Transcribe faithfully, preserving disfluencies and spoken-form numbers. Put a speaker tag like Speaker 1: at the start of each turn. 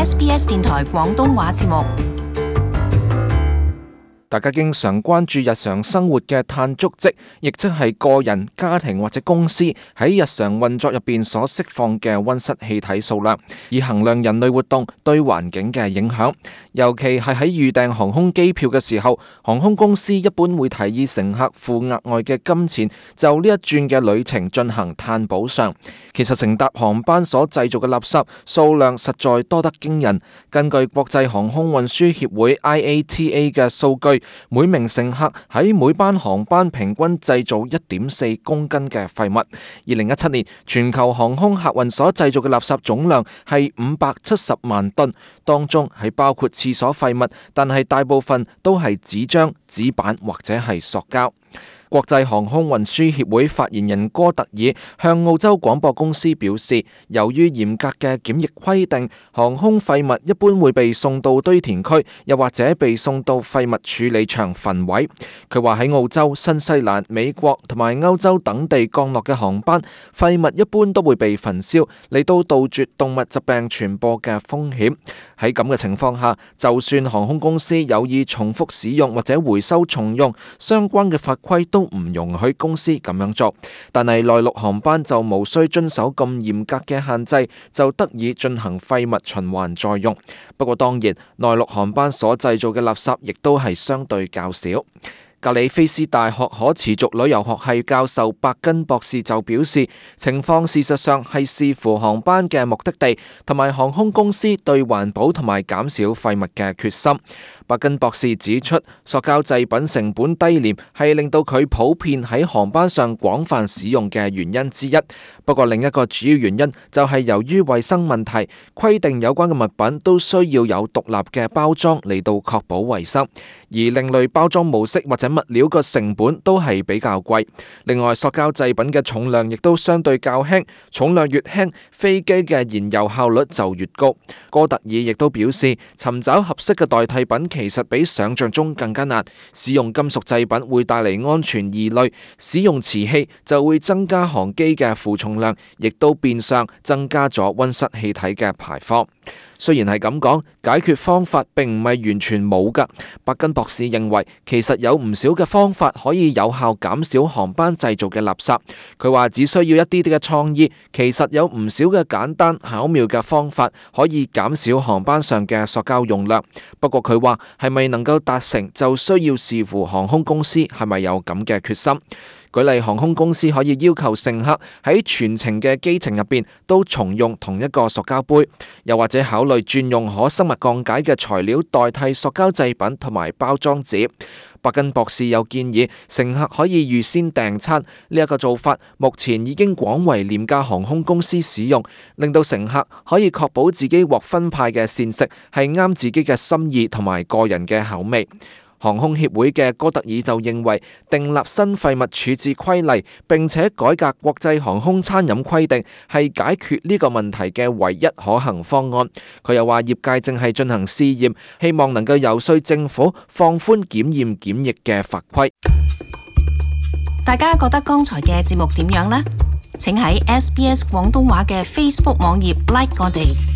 Speaker 1: S B S 電台廣東話節目。
Speaker 2: 大家經常關注日常生活嘅碳足跡，亦即係個人、家庭或者公司喺日常運作入邊所釋放嘅溫室氣體數量，以衡量人類活動對環境嘅影響。尤其係喺預訂航空機票嘅時候，航空公司一般會提議乘客付額外嘅金錢，就呢一轉嘅旅程進行碳補償。其實乘搭航班所製造嘅垃圾數量實在多得驚人。根據國際航空運輸協會 I A T A 嘅數據，每名乘客喺每班航班平均製造一點四公斤嘅廢物。二零一七年全球航空客運所製造嘅垃圾總量係五百七十萬噸，當中係包括廁所廢物，但係大部分都係紙張、紙板或者係塑膠。國際航空運輸協會發言人哥特爾向澳洲廣播公司表示，由於嚴格嘅檢疫規定，航空廢物一般會被送到堆填區，又或者被送到廢物處理場焚毀。佢話喺澳洲、新西蘭、美國同埋歐洲等地降落嘅航班，廢物一般都會被焚燒，嚟到杜絕動物疾病傳播嘅風險。喺咁嘅情況下，就算航空公司有意重複使用或者回收重用，相關嘅法規都唔容許公司咁樣做，但係內陸航班就無需遵守咁嚴格嘅限制，就得以進行廢物循環再用。不過當然，內陸航班所製造嘅垃圾亦都係相對較少。格里菲斯大學可持續旅遊學系教授白根博士就表示，情況事實上係視乎航班嘅目的地同埋航空公司對環保同埋減少廢物嘅決心。白根博士指出，塑膠製品成本低廉係令到佢普遍喺航班上廣泛使用嘅原因之一。不過另一個主要原因就係由於衛生問題，規定有關嘅物品都需要有獨立嘅包裝嚟到確保衛生，而另類包裝模式或者物料嘅成本都係比較貴。另外，塑膠製品嘅重量亦都相對較輕，重量越輕，飛機嘅燃油效率就越高。哥特爾亦都表示，尋找合適嘅代替品其實比想象中更加難。使用金屬製品會帶嚟安全疑慮，使用瓷器就會增加航機嘅負重量，亦都變相增加咗溫室氣體嘅排放。雖然係咁講，解決方法並唔係完全冇噶。白根博士認為，其實有唔少嘅方法可以有效減少航班製造嘅垃圾。佢話只需要一啲啲嘅創意，其實有唔少嘅簡單巧妙嘅方法可以減少航班上嘅塑膠用量。不過佢話係咪能夠達成，就需要視乎航空公司係咪有咁嘅決心。舉例，航空公司可以要求乘客喺全程嘅機程入邊都重用同一個塑膠杯，又或者考慮轉用可生物降解嘅材料代替塑膠製品同埋包裝紙。白根博士又建議乘客可以預先訂餐，呢一個做法目前已經廣為廉價航空公司使用，令到乘客可以確保自己獲分派嘅膳食係啱自己嘅心意同埋個人嘅口味。航空協會嘅哥特爾就認為，訂立新廢物處置規例並且改革國際航空餐飲規定係解決呢個問題嘅唯一可行方案。佢又話業界正係進行試驗，希望能夠遊說政府放寬檢驗檢疫嘅法規。
Speaker 1: 大家覺得剛才嘅節目點樣呢？請喺 S B S 廣東話嘅 Facebook 網頁 like 我哋。